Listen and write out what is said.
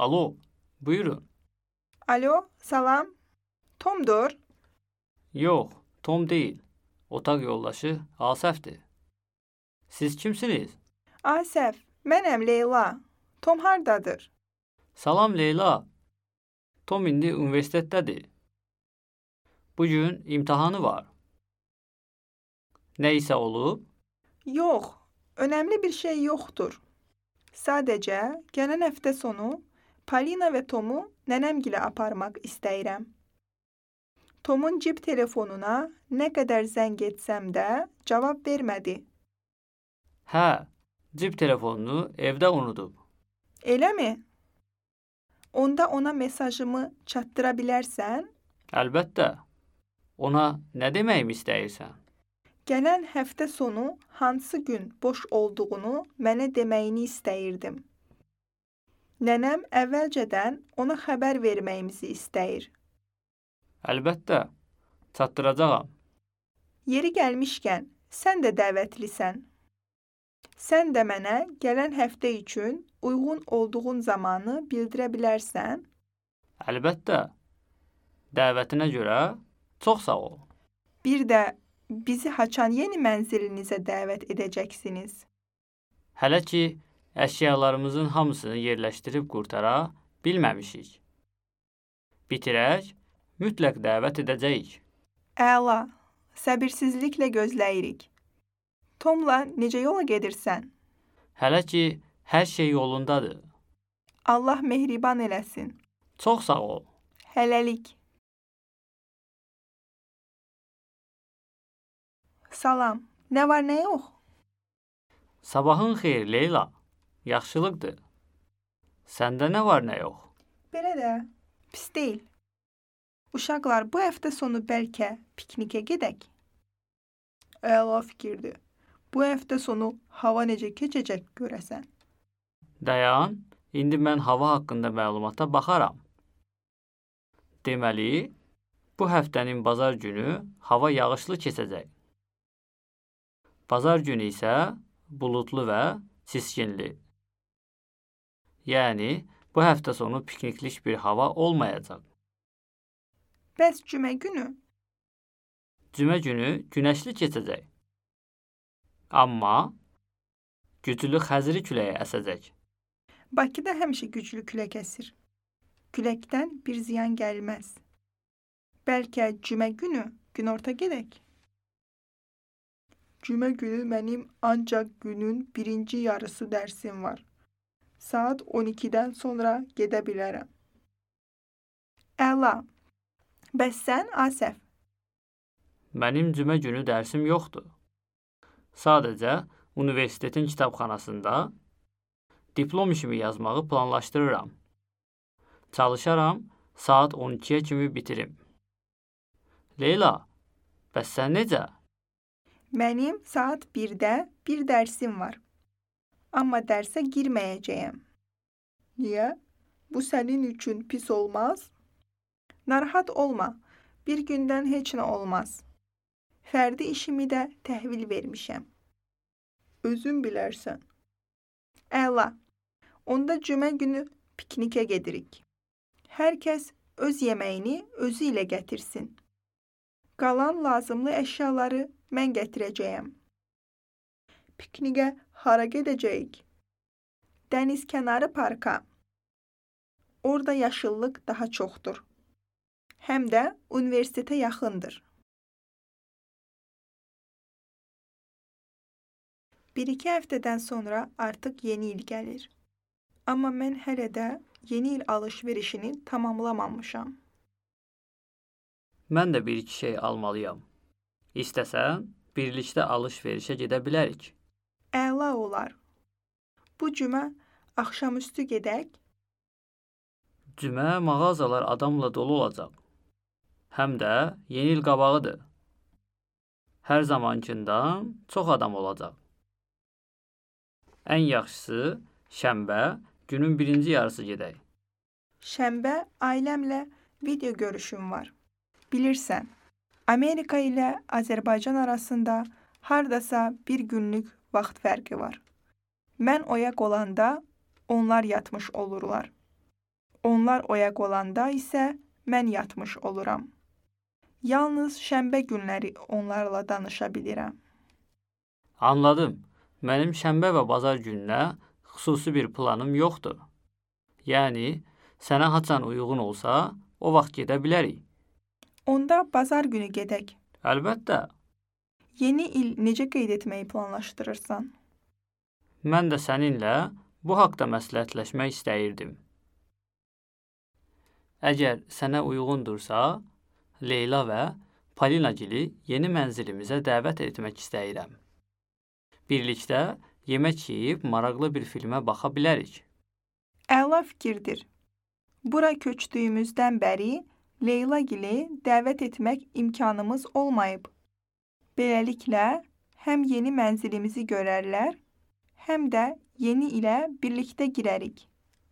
Alo, buyurun. Alo, salam. Tomdur. Yox, Tom deyil. Otaq yoldaşı Asəfdir. Siz kimsiniz? Asəf, mənəm Leyla. Tom hardadır? Salam Leyla. Tom indi universitetdədir. Bugün imtahanı var. Nə isə olub? Yox, önəmli bir şey yoxdur. Sadəcə, gələn həftə sonu Polina və Tomu nənəmgilə aparmaq istəyirəm. Tomun cib telefonuna nə qədər zəng etsəm də cavab vermədi. Hə, cib telefonunu evdə unudub. Eləmi? Onda ona mesajımı çatdıra bilərsən? Əlbəttə. Ona nə deməyimi istəyirsən? Gələn həftə sonu hansı gün boş olduğunu mənə deməyini istəyirdim. Nənəm əvvəlcədən ona xəbər verməyimizi istəyir. Əlbəttə, çatdıracağam. Yeri gəlmişkən, sən də dəvətlisən. Sən də mənə gələn həftə üçün uyğun olduğun zamanı bildirə bilərsən? Əlbəttə. Dəvətinə görə çox sağ ol. Bir də bizi Haçan yeni mənzilinizə dəvət edəcəksiniz. Hələ ki, əşyalarımızın hamısını yerləşdirib qurtara bilməmişik. Bitirək, mütləq dəvət edəcəyik. Əla, səbirsizliklə gözləyirik. Tomla necə yola gedirsən? Hələ ki, hər şey yolundadır. Allah mehriban eləsin. Çox sağ ol. Hələlik. Salam, nə var, nə yox? Sabahın xeyir Leyla. Yaxşılıqdır. Səndə nə var, nə yox? Belə də, pis deyil. Uşaqlar, bu həftə sonu bəlkə piknikə gedək. Əla fikirdir. Bu həftə sonu hava necə keçəcək görəsən? Dayan, indi mən hava haqqında məlumata baxaram. Deməli, bu həftənin bazar günü hava yağışlı keçəcək. Bazar günü isə buludlu və çiskinli. Yəni, bu həftə sonu pikniklik bir hava olmayacaq. Bəs cümə günü? Cümə günü günəşli keçəcək. Amma güclü xəzri küləyi əsəcək. Bakıda həmişə güclü külək əsir. Küləkdən bir ziyan gəlməz. Bəlkə cümə günü günorta gedək. Cümə günü mənim ancaq günün birinci yarısı dərsim var. Saat 12-dən sonra gedə bilərəm. Əla. Bəs sən, Asəf? Mənim cümə günü dərsim yoxdur. Sadəcə universitetin kitabxanasında diplom işimi yazmağı planlaşdırıram. Çalışaram, saat 12-yə kimi bitirim. Leyla, bəs sən necə? Mənim saat 1-də bir dərsim var. Amma dərsə girməyəcəyəm. Niyə? Bu sənin üçün pis olmaz? Narahat olma. Bir gündən heç nə olmaz. Fərdi işimi də təhvil vermişəm. Özün bilərsən. Əla. Onda cümə günü piknikə gedirik. Hər kəs öz yeməyini özü ilə gətirsin. Qalan lazımlı əşyaları mən gətirəcəyəm. Piknikə hara gedəcəyik? Dəniz kənarı parka. Orada yaşıllıq daha çoxdur. Həm də universitetə yaxındır. 1-2 həftədən sonra artıq yeni il gəlir. Amma mən hələ də yeni il alış-verişini tamamlamamışam. Mən də bir-iki şey almalıyam. İstəsən, birlikdə alış-verişə gedə bilərik. Əla olar. Bu cümə axşamüstü gedək. Cümə mağazalar adamla dolu olacaq. Həm də yeni il qabağıdır. Hər zamankindən çox adam olacaq. Ən yaxşısı şənbə günün birinci yarısı gedək. Şənbə ailəmlə video görüşüm var. Bilirsən, Amerika ilə Azərbaycan arasında hardasa bir günlük vaxt fərqi var. Mən oyaq olanda onlar yatmış olurlar. Onlar oyaq olanda isə mən yatmış oluram. Yalnız şənbə günləri onlarla danışa bilirəm. Anladım. Mənim şənbə və bazar gününə xüsusi bir planım yoxdur. Yəni, sənə haçan uyğun olsa, o vaxt gedə bilərik. Onda bazar günü gedək. Əlbəttə, Yeni il necə qeyd etməyi planlaşdırırsan? mən də səninlə bu haqda məsləhətləşmək istəyirdim. Əgər sənə uyğundursa, Leyla və Palinagili yeni mənzilimizə dəvət etmək istəyirəm. Birlikdə yemək yeyib maraqlı bir filmə baxa bilərik. Əla fikirdir. Bura köçdüyümüzdən bəri Leylagili dəvət etmək imkanımız olmayıb. Beləliklə, həm yeni mənzilimizi görərlər, həm də yeni ilə birlikdə girərik.